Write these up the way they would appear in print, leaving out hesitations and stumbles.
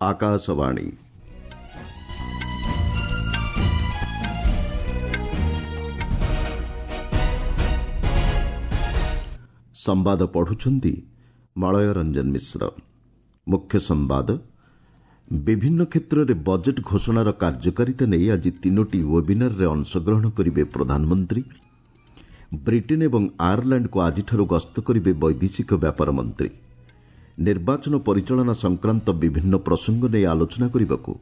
ଆକାଶବାଣୀ। ସମ୍ବାଦ ପଢୁଛନ୍ତି ମଳୟ ରଞ୍ଜନ ମିଶ୍ର। ମୁଖ୍ୟ ସମ୍ବାଦ, ବିଭିନ୍ନ କ୍ଷେତ୍ରରେ ବଜେଟ୍ ଘୋଷଣାର କାର୍ଯ୍ୟକାରିତା ନେଇ ଆଜି ତିନୋଟି ୱେବିନାରରେ ଅଂଶଗ୍ରହଣ କରିବେ ପ୍ରଧାନମନ୍ତ୍ରୀ। ବ୍ରିଟେନ୍ ଏବଂ ଆୟାରଲାଣ୍ଡକୁ ଆଜିଠାରୁ ଗସ୍ତ କରିବେ ବୈଦେଶିକ ବ୍ୟାପାର ମନ୍ତ୍ରୀ। ନିର୍ବାଚନ ପରିଚାଳନା ସଂକ୍ରାନ୍ତ ବିଭିନ୍ନ ପ୍ରସଙ୍ଗ ନେଇ ଆଲୋଚନା କରିବାକୁ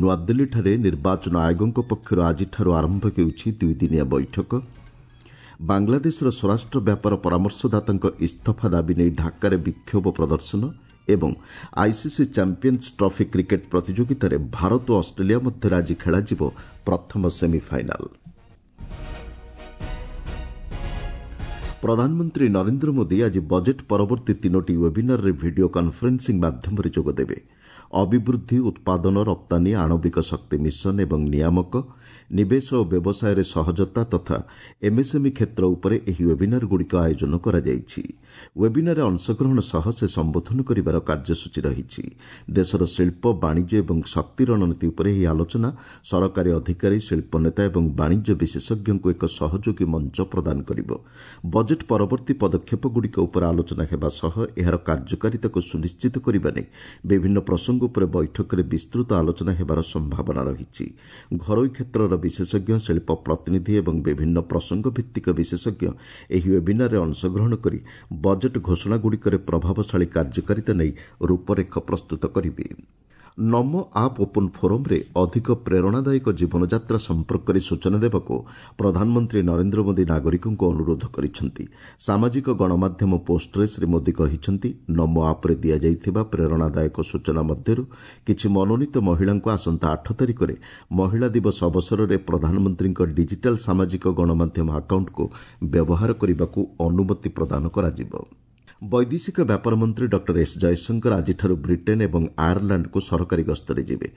ନୂଆଦିଲ୍ଲୀଠାରେ ନିର୍ବାଚନ ଆୟୋଗଙ୍କ ପକ୍ଷରୁ ଆଜିଠାରୁ ଆରମ୍ଭ ହେଉଛି ଦୁଇଦିନିଆ ବୈଠକ। ବାଂଲାଦେଶର ସ୍ୱରାଷ୍ଟ୍ର ବ୍ୟାପାର ପରାମର୍ଶଦାତାଙ୍କ ଇସ୍ତଫା ଦାବି ନେଇ ଢାକାରେ ବିକ୍ଷୋଭ ପ୍ରଦର୍ଶନ ଏବଂ ଆଇସିସି ଚାମ୍ପିୟନ୍ସ ଟ୍ରଫି କ୍ରିକେଟ୍ ପ୍ରତିଯୋଗିତାରେ ଭାରତ ଓ ଅଷ୍ଟ୍ରେଲିଆ ମଧ୍ୟରେ ଆଜି ଖେଳାଯିବ ପ୍ରଥମ ସେମିଫାଇନାଲ୍। ପ୍ରଧାନମନ୍ତ୍ରୀ ନରେନ୍ଦ୍ର ମୋଦି ଆଜି ବଜେଟ୍ ପରବର୍ତ୍ତୀ ତିନୋଟି ୱେବିନାରରେ ଭିଡିଓ କନ୍ଫରେନ୍ସିଂ ମାଧ୍ୟମରେ ଯୋଗଦେବେ। ଅଭିବୃଦ୍ଧି, ଉତ୍ପାଦନ, ରପ୍ତାନୀ, ଆଣବିକ ଶକ୍ତି ମିଶନ ଏବଂ ନିୟାମକ, ନିବେଶ ଓ ବ୍ୟବସାୟରେ ସହଜତା ତଥା ଏମ୍ଏସ୍ଏମ୍ଇ କ୍ଷେତ୍ର ଉପରେ ଏହି ୱେବିନାରଗୁଡ଼ିକ ଆୟୋଜନ କରାଯାଇଛି। ୱେବିନାରରେ ଅଂଶଗ୍ରହଣ ସହ ସେ ସମ୍ବୋଧନ କରିବାର କାର୍ଯ୍ୟସୂଚୀ ରହିଛି। ଦେଶର ଶିଳ୍ପ, ବାଣିଜ୍ୟ ଏବଂ ଶକ୍ତି ରଣନୀତି ଉପରେ ଏହି ଆଲୋଚନା ସରକାରୀ ଅଧିକାରୀ, ଶିଳ୍ପ ନେତା ଏବଂ ବାଣିଜ୍ୟ ବିଶେଷଜ୍ଞଙ୍କୁ ଏକ ସହଯୋଗୀ ମଞ୍ଚ ପ୍ରଦାନ କରିବ। ବଜେଟ୍ ପରବର୍ତ୍ତୀ ପଦକ୍ଷେପଗୁଡ଼ିକ ଉପରେ ଆଲୋଚନା ହେବା ସହ ଏହାର କାର୍ଯ୍ୟକାରିତାକୁ ସୁନିଶ୍ଚିତ କରିବା ନେଇ ବିଭିନ୍ନ ପ୍ରସଙ୍ଗ ଉପରେ ବୈଠକରେ ବିସ୍ତୃତ ଆଲୋଚନା ହେବାର ସମ୍ଭାବନା ରହିଛି। ଘରୋଇ କ୍ଷେତ୍ରର ବିଶେଷଜ୍ଞ, ଶିଳ୍ପ ପ୍ରତିନିଧି ଏବଂ ବିଭିନ୍ନ ପ୍ରସଙ୍ଗ ଭିତ୍ତିକ ବିଶେଷଜ୍ଞ ଏହି ୱେବିନାରରେ ଅଂଶଗ୍ରହଣ କରି ବଜେଟ୍ ଘୋଷଣାଗୁଡ଼ିକରେ ପ୍ରଭାବଶାଳୀ କାର୍ଯ୍ୟକାରିତା ନେଇ ରୂପରେଖ ପ୍ରସ୍ତୁତ କରିବେ। ନମୋ ଆପ୍ ଓପନ୍ ଫୋରମ୍ରେ ଅଧିକ ପ୍ରେରଣାଦାୟକ ଜୀବନଯାତ୍ରା ସମ୍ପର୍କରେ ସୂଚନା ଦେବାକୁ ପ୍ରଧାନମନ୍ତ୍ରୀ ନରେନ୍ଦ୍ର ମୋଦି ନାଗରିକଙ୍କୁ ଅନୁରୋଧ କରିଛନ୍ତି। ସାମାଜିକ ଗଣମାଧ୍ୟମ ପୋଷ୍ଟରେ ଶ୍ରୀ ମୋଦି କହିଛନ୍ତି, ନମୋ ଆପ୍ରେ ଦିଆଯାଇଥିବା ପ୍ରେରଣାଦାୟକ ସୂଚନା ମଧ୍ୟରୁ କିଛି ମନୋନୀତ ମହିଳାଙ୍କୁ ଆସନ୍ତା 8 ତାରିଖରେ ମହିଳା ଦିବସ ଅବସରରେ ପ୍ରଧାନମନ୍ତ୍ରୀଙ୍କ ଡିଜିଟାଲ୍ ସାମାଜିକ ଗଣମାଧ୍ୟମ ଆକାଉଣ୍ଟକୁ ବ୍ୟବହାର କରିବାକୁ ଅନୁମତି ପ୍ରଦାନ କରାଯିବ। ବୈଦେଶିକ ବ୍ୟାପାର ମନ୍ତ୍ରୀ ଡକ୍ଟର ଏସ୍ ଜୟଶଙ୍କର ଆଜିଠାରୁ ବ୍ରିଟେନ୍ ଏବଂ ଆୟାରଲାଣ୍ଡକୁ ସରକାରୀ ଗସ୍ତରେ ଯିବେ।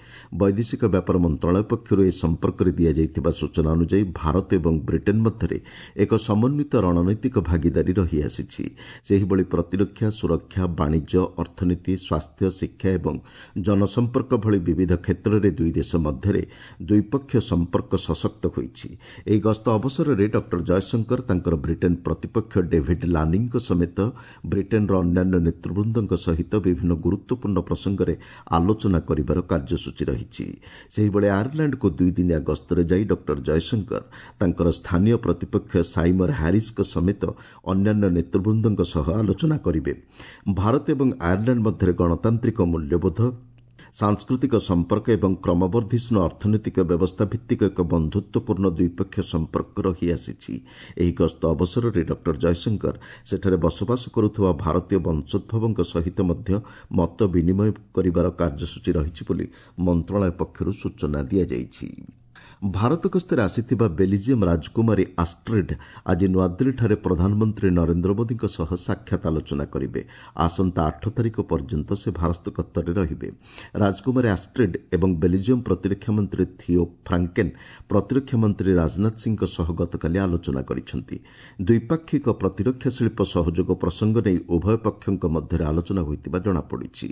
ବୈଦେଶିକ ବ୍ୟାପାର ମନ୍ତ୍ରଣାଳୟ ପକ୍ଷରୁ ଏ ସମ୍ପର୍କରେ ଦିଆଯାଇଥିବା ସୂଚନା ଅନୁଯାୟୀ ଭାରତ ଏବଂ ବ୍ରିଟେନ୍ ମଧ୍ୟରେ ଏକ ସମନ୍ୱିତ ରଣନୈତିକ ଭାଗିଦାରୀ ରହିଆସିଛି। ସେହିଭଳି ପ୍ରତିରକ୍ଷା, ସୁରକ୍ଷା, ବାଣିଜ୍ୟ, ଅର୍ଥନୀତି, ସ୍ୱାସ୍ଥ୍ୟ, ଶିକ୍ଷା ଏବଂ ଜନସମ୍ପର୍କ ଭଳି ବିବିଧ କ୍ଷେତ୍ରରେ ଦୁଇ ଦେଶ ମଧ୍ୟରେ ଦ୍ୱିପକ୍ଷୀୟ ସମ୍ପର୍କ ସଶକ୍ତ ହୋଇଛି। ଏହି ଗସ୍ତ ଅବସରରେ ଡକ୍ଟର ଜୟଶଙ୍କର ତାଙ୍କର ବ୍ରିଟେନ୍ ପ୍ରତିପକ୍ଷ ଡେଭିଡ୍ ଲାନିଙ୍କ ସମେତ ବ୍ରିଟେନ୍ର ଅନ୍ୟାନ୍ୟ ନେତୃବୃନ୍ଦଙ୍କ ସହିତ ବିଭିନ୍ନ ଗୁରୁତ୍ୱପୂର୍ଣ୍ଣ ପ୍ରସଙ୍ଗରେ ଆଲୋଚନା କରିବାର କାର୍ଯ୍ୟସୂଚୀ ରହିଛି। ସେହିଭଳି ଆୟାରଲାଣ୍ଡକୁ ଦୁଇଦିନିଆ ଗସ୍ତରେ ଯାଇ ଡକ୍ଟର ଜୟଶଙ୍କର ତାଙ୍କର ସ୍ଥାନୀୟ ପ୍ରତିପକ୍ଷ ସାଇମର ହ୍ୟାରିସ୍ଙ୍କ ସମେତ ଅନ୍ୟାନ୍ୟ ନେତୃବୃନ୍ଦଙ୍କ ସହ ଆଲୋଚନା କରିବେ। ଭାରତ ଏବଂ ଆୟାରଲାଣ୍ଡ ମଧ୍ୟରେ ଗଣତାନ୍ତ୍ରିକ ମୂଲ୍ୟବୋଧ, ସାଂସ୍କୃତିକ ସମ୍ପର୍କ ଏବଂ କ୍ରମବର୍ଦ୍ଧିଷ୍ଣୁ ଅର୍ଥନୈତିକ ବ୍ୟବସ୍ଥା ଭିତ୍ତିକ ଏକ ବନ୍ଧୁତ୍ୱପୂର୍ଣ୍ଣ ଦ୍ୱିପକ୍ଷୀୟ ସମ୍ପର୍କ ରହିଆସିଛି। ଏହି ଗସ୍ତ ଅବସରରେ ଡକ୍ଟର ଜୟଶଙ୍କର ସେଠାରେ ବସବାସ କରୁଥିବା ଭାରତୀୟ ବଂଶୋଦ୍ଭବଙ୍କ ସହିତ ମଧ୍ୟ ମତ ବିନିମୟ କରିବାର କାର୍ଯ୍ୟସୂଚୀ ରହିଛି ବୋଲି ମନ୍ତ୍ରଣାଳୟ ପକ୍ଷରୁ ସୂଚନା ଦିଆଯାଇଛି। ଭାରତ ଗସ୍ତରେ ଆସିଥିବା ବେଲିଜିୟମ୍ ରାଜକୁମାରୀ ଆଷ୍ଟ୍ରିଡ୍ ଆଜି ନୂଆଦିଲ୍ଲୀଠାରେ ପ୍ରଧାନମନ୍ତ୍ରୀ ନରେନ୍ଦ୍ର ମୋଦିଙ୍କ ସହ ସାକ୍ଷାତ ଆଲୋଚନା କରିବେ। ଆସନ୍ତା 8 ତାରିଖ ପର୍ଯ୍ୟନ୍ତ ସେ ଭାରତ ଗସ୍ତରେ ରହିବେ। ରାଜକୁମାରୀ ଆଷ୍ଟ୍ରିଡ୍ ଏବଂ ବେଲିଜିୟମ୍ ପ୍ରତିରକ୍ଷା ମନ୍ତ୍ରୀ ଥିଓ ଫ୍ରାଙ୍କେନ୍ ପ୍ରତିରକ୍ଷା ମନ୍ତ୍ରୀ ରାଜନାଥ ସିଂହଙ୍କ ସହ ଗତକାଲି ଆଲୋଚନା କରିଛନ୍ତି। ଦ୍ୱିପାକ୍ଷିକ ପ୍ରତିରକ୍ଷା ଶିଳ୍ପ ସହଯୋଗ ପ୍ରସଙ୍ଗ ନେଇ ଉଭୟ ପକ୍ଷଙ୍କ ମଧ୍ୟରେ ଆଲୋଚନା ହୋଇଥିବା ଜଣାପଡ଼ିଛି।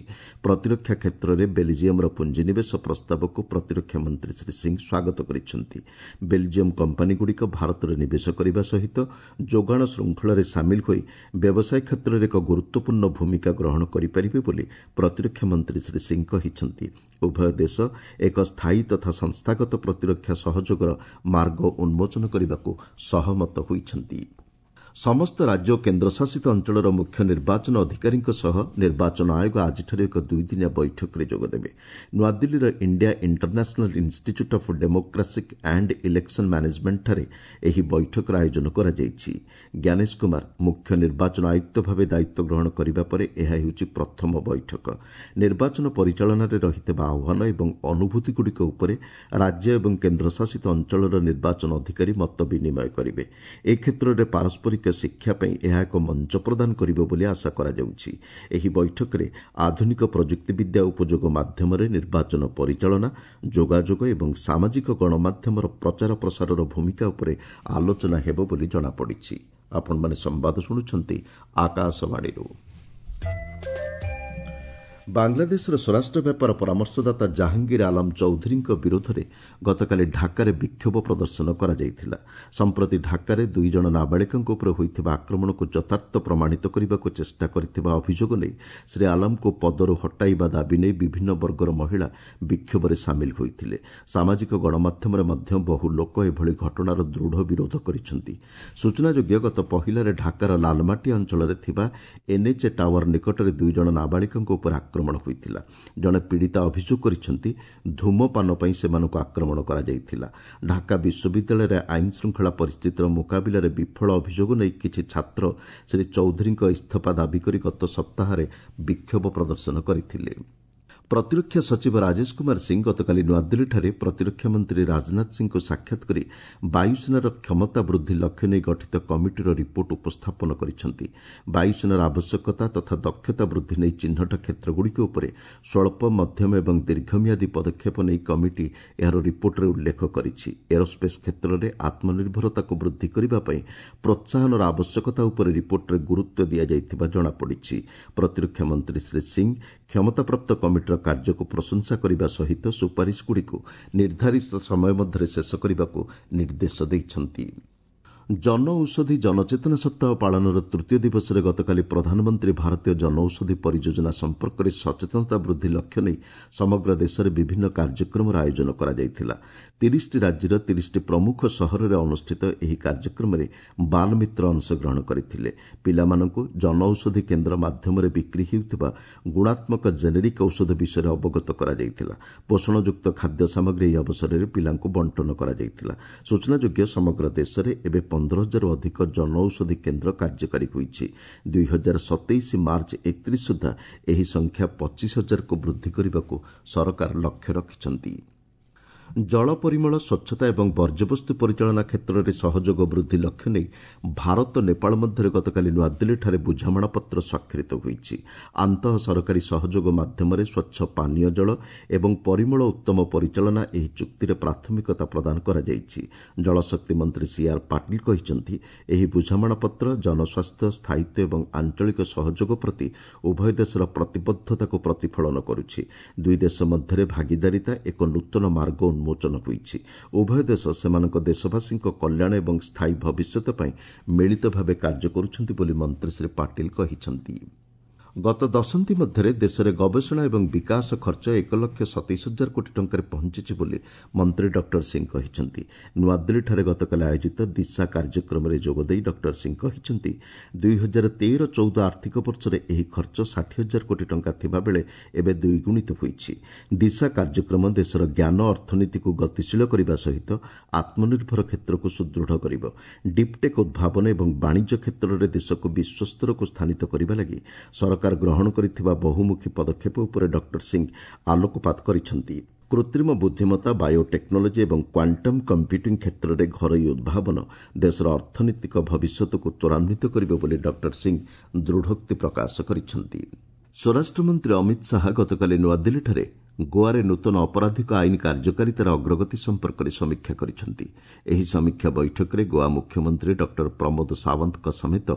ପ୍ରତିରକ୍ଷା କ୍ଷେତ୍ରରେ ବେଲିଜିୟମ୍ର ପୁଞ୍ଜିନିବେଶ ପ୍ରସ୍ତାବକୁ ପ୍ରତିରକ୍ଷା ମନ୍ତ୍ରୀ ଶ୍ରୀ ସିଂହ ସ୍ୱାଗତ କରିଛନ୍ତି। ବେଲଜିୟମ୍ କମ୍ପାନୀଗୁଡ଼ିକ ଭାରତରେ ନିବେଶ କରିବା ସହିତ ଯୋଗାଣ ଶୃଙ୍ଖଳରେ ସାମିଲ ହୋଇ ବ୍ୟବସାୟ କ୍ଷେତ୍ରରେ ଏକ ଗୁରୁତ୍ୱପୂର୍ଣ୍ଣ ଭୂମିକା ଗ୍ରହଣ କରିପାରିବେ ବୋଲି ପ୍ରତିରକ୍ଷା ମନ୍ତ୍ରୀ ଶ୍ରୀ ସିଂହ କହିଛନ୍ତି। ଉଭୟ ଦେଶ ଏକ ସ୍ଥାୟୀ ତଥା ସଂସ୍ଥାଗତ ପ୍ରତିରକ୍ଷା ସହଯୋଗର ମାର୍ଗ ଉନ୍ମୋଚନ କରିବାକୁ ସହମତ ହୋଇଛନ୍ତି। ସମସ୍ତ ରାଜ୍ୟ ଓ କେନ୍ଦ୍ରଶାସିତ ଅଞ୍ଚଳର ମୁଖ୍ୟ ନିର୍ବାଚନ ଅଧିକାରୀଙ୍କ ସହ ନିର୍ବାଚନ ଆୟୋଗ ଆଜିଠାରୁ ଏକ ଦୁଇଦିନିଆ ବୈଠକରେ ଯୋଗଦେବେ। ନୂଆଦିଲ୍ଲୀର India international institute of democratic and election ମ୍ୟାନେଜମେଣ୍ଟଠାରେ ଏହି ବୈଠକର ଆୟୋଜନ କରାଯାଇଛି। ଜ୍ଞାନେଶ କୁମାର ମୁଖ୍ୟ ନିର୍ବାଚନ ଆୟୁକ୍ତ ଭାବେ ଦାୟିତ୍ୱ ଗ୍ରହଣ କରିବା ପରେ ଏହା ହେଉଛି ପ୍ରଥମ ବୈଠକ। ନିର୍ବାଚନ ପରିଚାଳନାରେ ରହିଥିବା ଆହ୍ୱାନ ଏବଂ ଅନୁଭୂତିଗୁଡ଼ିକ ଉପରେ ରାଜ୍ୟ ଏବଂ କେନ୍ଦ୍ରଶାସିତ ଅଞ୍ଚଳର ନିର୍ବାଚନ ଅଧିକାରୀ ମତ ବିନିମୟ କରିବେ। ଏ କ୍ଷେତ୍ରରେ ପାରସ୍ପରିକ ଶିକ୍ଷା ପାଇଁ ଏହା ଏକ ମଞ୍ଚ ପ୍ରଦାନ କରିବ ବୋଲି ଆଶା କରାଯାଉଛି। ଏହି ବୈଠକରେ ଆଧୁନିକ ପ୍ରଯୁକ୍ତିବିଦ୍ୟା ଉପଯୋଗ ମାଧ୍ୟମରେ ନିର୍ବାଚନ ପରିଚାଳନା, ଯୋଗାଯୋଗ ଏବଂ ସାମାଜିକ ଗଣମାଧ୍ୟମର ପ୍ରଚାର ପ୍ରସାରର ଭୂମିକା ଉପରେ ଆଲୋଚନା ହେବ ବୋଲି ଜଣାପଡ଼ିଛି। ଆପଣମାନେ ସମ୍ବାଦ ଶୁଣୁଛନ୍ତି ଆକାଶବାଣୀରୁ। ବାଂଲାଦେଶର ସ୍ୱରାଷ୍ଟ୍ର ବ୍ୟାପାର ପରାମର୍ଶଦାତା ଜାହାଙ୍ଗୀର ଆଲମ ଚୌଧୁରୀଙ୍କ ବିରୋଧରେ ଗତକାଲି ଢାକାରେ ବିକ୍ଷୋଭ ପ୍ରଦର୍ଶନ କରାଯାଇଥିଲା। ସମ୍ପ୍ରତି ଢାକାରେ 2 ଜଣ ନାବାଳିକାଙ୍କ ଉପରେ ହୋଇଥିବା ଆକ୍ରମଣକୁ ଯଥାର୍ଥ ପ୍ରମାଣିତ କରିବାକୁ ଚେଷ୍ଟା କରିଥିବା ଅଭିଯୋଗ ନେଇ ଶ୍ରୀ ଆଲମଙ୍କୁ ପଦରୁ ହଟାଇବା ଦାବି ନେଇ ବିଭିନ୍ନ ବର୍ଗର ମହିଳା ବିକ୍ଷୋଭରେ ସାମିଲ ହୋଇଥିଲେ। ସାମାଜିକ ଗଣମାଧ୍ୟମରେ ମଧ୍ୟ ବହୁ ଲୋକ ଏଭଳି ଘଟଣାର ଦୃଢ଼ ବିରୋଧ କରିଛନ୍ତି। ସୂଚନାଯୋଗ୍ୟ, ଗତ ପହିଲାରେ ଢାକାର ଲାଲମାଟିଆ ଅଞ୍ଚଳରେ ଥିବା ଏନ୍ଏଚ୍ଏ ଟାୱାର ନିକଟରେ 2 ଜଣ ନାବାଳିକାଙ୍କ ଉପରେ ଆକ୍ରମଣ ହୋଇଥିଲା। ଜଣେ ପୀଡ଼ିତା ଅଭିଯୋଗ କରିଛନ୍ତି, ଧୂମପାନ ପାଇଁ ସେମାନଙ୍କୁ ଆକ୍ରମଣ କରାଯାଇଥିଲା। ଢାକା ବିଶ୍ୱବିଦ୍ୟାଳୟରେ ଆଇନ ଶୃଙ୍ଖଳା ପରିସ୍ଥିତିର ମୁକାବିଲାରେ ବିଫଳ ଅଭିଯୋଗ ନେଇ କିଛି ଛାତ୍ର ଶ୍ରୀ ଚୌଧୁରୀଙ୍କ ଇସ୍ତଫା ଦାବି କରି ଗତ ସପ୍ତାହରେ ବିକ୍ଷୋଭ ପ୍ରଦର୍ଶନ କରିଥିଲେ। ପ୍ରତିରକ୍ଷା ସଚିବ ରାଜେଶ କୁମାର ସିଂ ଗତକାଲି ନୂଆଦିଲ୍ଲୀଠାରେ ପ୍ରତିରକ୍ଷା ମନ୍ତ୍ରୀ ରାଜନାଥ ସିଂଙ୍କୁ ସାକ୍ଷାତ କରି ବାୟୁସେନାର କ୍ଷମତା ବୃଦ୍ଧି ଲକ୍ଷ୍ୟ ନେଇ ଗଠିତ କମିଟିର ରିପୋର୍ଟ ଉପସ୍ଥାପନ କରିଛନ୍ତି। ବାୟୁସେନାର ଆବଶ୍ୟକତା ତଥା ଦକ୍ଷତା ବୃଦ୍ଧି ନେଇ ଚିହ୍ନଟ କ୍ଷେତ୍ରଗୁଡ଼ିକ ଉପରେ ସ୍ୱଳ୍ପ, ମଧ୍ୟମ ଏବଂ ଦୀର୍ଘମିଆଦୀ ପଦକ୍ଷେପ ନେଇ କମିଟି ଏହାର ରିପୋର୍ଟରେ ଉଲ୍ଲେଖ କରିଛି। ଏରୋସ୍ପେସ୍ କ୍ଷେତ୍ରରେ ଆତ୍ମନିର୍ଭରତାକୁ ବୃଦ୍ଧି କରିବା ପାଇଁ ପ୍ରୋତ୍ସାହନର ଆବଶ୍ୟକତା ଉପରେ ରିପୋର୍ଟରେ ଗୁରୁତ୍ୱ ଦିଆଯାଇଥିବା ଜଣାପଡ଼ିଛି। ପ୍ରତିରକ୍ଷା ମନ୍ତ୍ରୀ ଶ୍ରୀ ସିଂ କ୍ଷମତାପ୍ରାପ୍ତ କମିଟିର କାର୍ଯ୍ୟକୁ ପ୍ରଶଂସା କରିବା ସହିତ ସୁପାରିଶଗୁଡ଼ିକୁ ନିର୍ଦ୍ଧାରିତ ସମୟ ମଧ୍ୟରେ ଶେଷ କରିବାକୁ ନିର୍ଦ୍ଦେଶ ଦେଇଛନ୍ତି। ଜନଔଷଧି ଜନଚେତନା ସପ୍ତାହ ପାଳନର ତୃତୀୟ ଦିବସରେ ଗତକାଲି ପ୍ରଧାନମନ୍ତ୍ରୀ ଭାରତୀୟ ଜନଔଷଧି ପରିଯୋଜନା ସମ୍ପର୍କରେ ସଚେତନତା ବୃଦ୍ଧି ଲକ୍ଷ୍ୟ ନେଇ ସମଗ୍ର ଦେଶରେ ବିଭିନ୍ନ କାର୍ଯ୍ୟକ୍ରମର ଆୟୋଜନ କରାଯାଇଥିଲା। 30ଟି ରାଜ୍ୟର 30ଟି ପ୍ରମୁଖ ସହରରେ ଅନୁଷ୍ଠିତ ଏହି କାର୍ଯ୍ୟକ୍ରମରେ ବାଲମିତ୍ର ଅଂଶଗ୍ରହଣ କରିଥିଲେ। ପିଲାମାନଙ୍କୁ ଜନଔଷଧି କେନ୍ଦ୍ର ମାଧ୍ୟମରେ ବିକ୍ରି ହେଉଥିବା ଗୁଣାତ୍ମକ ଜେନେରିକ୍ ଔଷଧ ବିଷୟରେ ଅବଗତ କରାଯାଇଥିଲା। ପୋଷଣଯୁକ୍ତ ଖାଦ୍ୟ ସାମଗ୍ରୀ ଏହି ଅବସରରେ ପିଲାଙ୍କୁ ବଣ୍ଟନ କରାଯାଇଥିଲା। ସୂଚନାଯୋଗ୍ୟ, ସମଗ୍ର ଦେଶରେ ଏବେ 15 ହଜାରରୁ ଅଧିକ ଜନଔଷଧି କେନ୍ଦ୍ର କାର୍ଯ୍ୟକାରୀ ହୋଇଛି। 2027 ମାର୍ଚ୍ଚ 31 ସୁଦ୍ଧା ଏହି ସଂଖ୍ୟା 25 ହଜାରକୁ ବୃଦ୍ଧି କରିବାକୁ ସରକାର ଲକ୍ଷ୍ୟ ରଖିଛନ୍ତି। ଜଳ ପରିମଳ, ସ୍ୱଚ୍ଛତା ଏବଂ ବର୍ଜ୍ୟବସ୍ତୁ ପରିଚାଳନା କ୍ଷେତ୍ରରେ ସହଯୋଗ ବୃଦ୍ଧି ଲକ୍ଷ୍ୟ ନେଇ ଭାରତ ନେପାଳ ମଧ୍ୟରେ ଗତକାଲି ନୂଆଦିଲ୍ଲୀଠାରେ ବୁଝାମଣାପତ୍ର ସ୍ୱାକ୍ଷରିତ ହୋଇଛି। ଆନ୍ତଃ ସରକାରୀ ସହଯୋଗ ମାଧ୍ୟମରେ ସ୍ୱଚ୍ଛ ପାନୀୟ ଜଳ ଏବଂ ପରିମଳ ଉତ୍ତମ ପରିଚାଳନା ଏହି ଚୁକ୍ତିରେ ପ୍ରାଥମିକତା ପ୍ରଦାନ କରାଯାଇଛି। ଜଳଶକ୍ତି ମନ୍ତ୍ରୀ ସିଆର୍ ପାଟିଲ କହିଛନ୍ତି, ଏହି ବୁଝାମଣାପତ୍ର ଜନସ୍ୱାସ୍ଥ୍ୟ, ସ୍ଥାୟିତ୍ୱ ଏବଂ ଆଞ୍ଚଳିକ ସହଯୋଗ ପ୍ରତି ଉଭୟ ଦେଶର ପ୍ରତିବଦ୍ଧତାକୁ ପ୍ରତିଫଳନ କରୁଛି। ଦୁଇ ଦେଶ ମଧ୍ୟରେ ଭାଗିଦାରିତା ଏକ ନୂତନ ମାର୍ଗ ଉନ୍ମୋଚନ ହୋଇଛି। ଉଭୟ ଦେଶ ସେମାନଙ୍କ ଦେଶବାସୀଙ୍କ କଲ୍ୟାଣ ଏବଂ ସ୍ଥାୟୀ ଭବିଷ୍ୟତ ପାଇଁ ମିଳିତ ଭାବେ କାର୍ଯ୍ୟ କରୁଛନ୍ତି ବୋଲି ମନ୍ତ୍ରୀ ଶ୍ରୀ ପାଟିଲ କହିଛନ୍ତି। ଗତ ଦଶନ୍ଧି ମଧ୍ୟରେ ଦେଶରେ ଗବେଷଣା ଏବଂ ବିକାଶ ଖର୍ଚ୍ଚ 1 ଲକ୍ଷ 27 ହଜାର କୋଟି ଟଙ୍କାରେ ପହଞ୍ଚିଛି ବୋଲି ମନ୍ତ୍ରୀ ଡକ୍ଟର ସିଂ କହିଛନ୍ତି। ନୂଆଦିଲ୍ଲୀଠାରେ ଗତକାଲି ଆୟୋଜିତ ଦିଶା କାର୍ଯ୍ୟକ୍ରମରେ ଯୋଗଦେଇ ଡକ୍ଟର ସିଂ କହିଛନ୍ତି, 2013-14 ଆର୍ଥିକ ବର୍ଷରେ ଏହି ଖର୍ଚ୍ଚ 60 ହଜାର କୋଟି ଟଙ୍କା ଥିବାବେଳେ ଏବେ ଦ୍ୱିଗୁଣିତ ହୋଇଛି। ଦିଶା କାର୍ଯ୍ୟକ୍ରମ ଦେଶର ଜ୍ଞାନ ଅର୍ଥନୀତିକୁ ଗତିଶୀଳ କରିବା ସହିତ ଆତ୍ମନିର୍ଭର କ୍ଷେତ୍ରକୁ ସୁଦୃଢ଼ କରିବ। ଡିପ୍ଟେକ୍ ଉଦ୍ଭାବନ ଏବଂ ବାଣିଜ୍ୟ କ୍ଷେତ୍ରରେ ଦେଶକୁ ବିଶ୍ୱସ୍ତରକୁ ସ୍ଥାନିତ କରିବା ଲାଗି ସରକାର ଗ୍ରହଣ କରିଥିବା ବହୁମୁଖୀ ପଦକ୍ଷେପ ଉପରେ ଡକ୍ଟର ସିଂ ଆଲୋକପାତ କରିଛନ୍ତି। କୃତ୍ରିମ ବୁଦ୍ଧିମତ୍ତା, ବାୟୋଟେକ୍ନୋଲୋଜି ଏବଂ କ୍ୱାଣ୍ଟମ୍ କମ୍ପ୍ୟୁଟିଂ କ୍ଷେତ୍ରରେ ଘରୋଇ ଉଦ୍ଭାବନ ଦେଶର ଅର୍ଥନୈତିକ ଭବିଷ୍ୟତକୁ ତ୍ୱରାନ୍ୱିତ କରିବ ବୋଲି ଡକ୍ଟର ସିଂ ଦୃଢ଼ୋକ୍ତି ପ୍ରକାଶ କରିଛନ୍ତି। ସ୍ୱରାଷ୍ଟ୍ରମନ୍ତ୍ରୀ ଅମିତ ଶାହା ଗତକାଲି ନୂଆଦିଲ୍ଲୀଠାରେ ଗୋଆରେ ନୂତନ ଅପରାଧିକ ଆଇନ କାର୍ଯ୍ୟକାରିତାର ଅଗ୍ରଗତି ସମ୍ପର୍କରେ ସମୀକ୍ଷା କରିଛନ୍ତି। ଏହି ସମୀକ୍ଷା ବୈଠକରେ ଗୋଆ ମୁଖ୍ୟମନ୍ତ୍ରୀ ଡକ୍ଟର ପ୍ରମୋଦ ସାୱନ୍ତଙ୍କ ସମେତ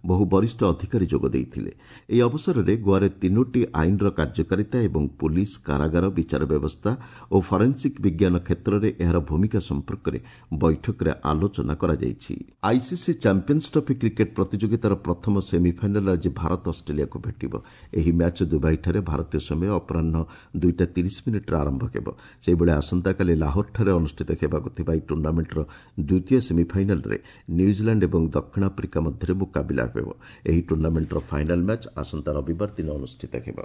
ବହୁ ବରିଷ୍ଠ ଅଧିକାରୀ ଯୋଗ ଦେଇଥିଲେ। ଏହି ଅବସରରେ ଗୋଆରେ ତିନୋଟି ଆଇନର କାର୍ଯ୍ୟକାରିତା ଏବଂ ପୁଲିସ୍, କାରାଗାର, ବିଚାର ବ୍ୟବସ୍ଥା ଓ ଫରେନ୍ସିକ୍ ବିଜ୍ଞାନ କ୍ଷେତ୍ରରେ ଏହାର ଭୂମିକା ସମ୍ପର୍କରେ ବୈଠକରେ ଆଲୋଚନା କରାଯାଇଛି। ଆଇସିସି ଚାମ୍ପିୟନ୍ସ ଟ୍ରଫି କ୍ରିକେଟ୍ ପ୍ରତିଯୋଗିତାର ପ୍ରଥମ ସେମିଫାଇନାଲ୍ରେ ଆଜି ଭାରତ ଅଷ୍ଟ୍ରେଲିଆକୁ ଭେଟିବ। ଏହି ମ୍ୟାଚ୍ ଦୁବାଇଠାରେ ଭାରତୀୟ ସମୟ ଅପରାହ୍ନ 2ଟା 30 ମିନିଟ୍ରେ ଆରମ୍ଭ ହେବ। ସେହିଭଳି ଆସନ୍ତାକାଲି ଲାହୋରଠାରେ ଅନୁଷ୍ଠିତ ହେବାକୁ ଥିବା ଏହି ଟୁର୍ଣ୍ଣାମେଣ୍ଟର ଦ୍ୱିତୀୟ ସେମିଫାଇନାଲ୍ରେ ନ୍ୟୁଜିଲାଣ୍ଡ ଏବଂ ଦକ୍ଷିଣ ଆଫ୍ରିକା ମଧ୍ୟରେ ମୁକାବିଲା ହେବ। ଏହି ଟୁର୍ଣ୍ଣାମେଣ୍ଟର ଫାଇନାଲ୍ ମ୍ୟାଚ୍ ଆସନ୍ତା ରବିବାର ଦିନ ଅନୁଷ୍ଠିତ ହେବ।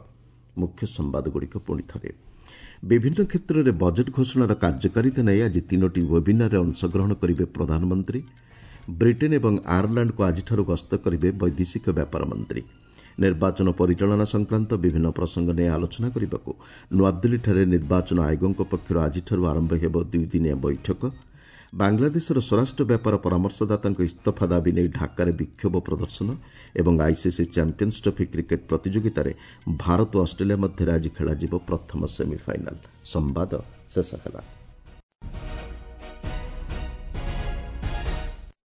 ମୁଖ୍ୟ ସମ୍ବାଦଗୁଡ଼ିକ ପୁଣି ଥରେ। ବିଭିନ୍ନ କ୍ଷେତ୍ରରେ ବଜେଟ୍ ଘୋଷଣାର କାର୍ଯ୍ୟକାରିତା ନେଇ ଆଜି ତିନୋଟି ୱେବିନାରରେ ଅଂଶଗ୍ରହଣ କରିବେ ପ୍ରଧାନମନ୍ତ୍ରୀ। ବ୍ରିଟେନ୍ ଏବଂ ଆୟାରଲାଣ୍ଡକୁ ଆଜିଠାରୁ ଗସ୍ତ କରିବେ ବୈଦେଶିକ ବ୍ୟାପାର ମନ୍ତ୍ରୀ। ନିର୍ବାଚନ ପରିଚାଳନା ସଂକ୍ରାନ୍ତ ବିଭିନ୍ନ ପ୍ରସଙ୍ଗ ନେଇ ଆଲୋଚନା କରିବାକୁ ନୂଆଦିଲ୍ଲୀଠାରେ ନିର୍ବାଚନ ଆୟୋଗଙ୍କ ପକ୍ଷରୁ ଆଜିଠାରୁ ଆରମ୍ଭ ହେବ ଦୁଇଦିନିଆ ବୈଠକ। ବାଂଲାଦେଶର ସ୍ୱରାଷ୍ଟ୍ର ବ୍ୟାପାର ପରାମର୍ଶଦାତାଙ୍କ ଇସ୍ତଫା ଦାବି ନେଇ ଢାକାରେ ବିକ୍ଷୋଭ ପ୍ରଦର୍ଶନ ଏବଂ ଆଇସିସି ଚାମ୍ପିୟନ୍ସ ଟ୍ରଫି କ୍ରିକେଟ୍ ପ୍ରତିଯୋଗିତାରେ ଭାରତ ଓ ଅଷ୍ଟ୍ରେଲିଆ ମଧ୍ୟରେ ଆଜି ଖେଳାଯିବ ପ୍ରଥମ ସେମିଫାଇନାଲ୍। ସମ୍ବାଦ ଶେଷ ହେଲା।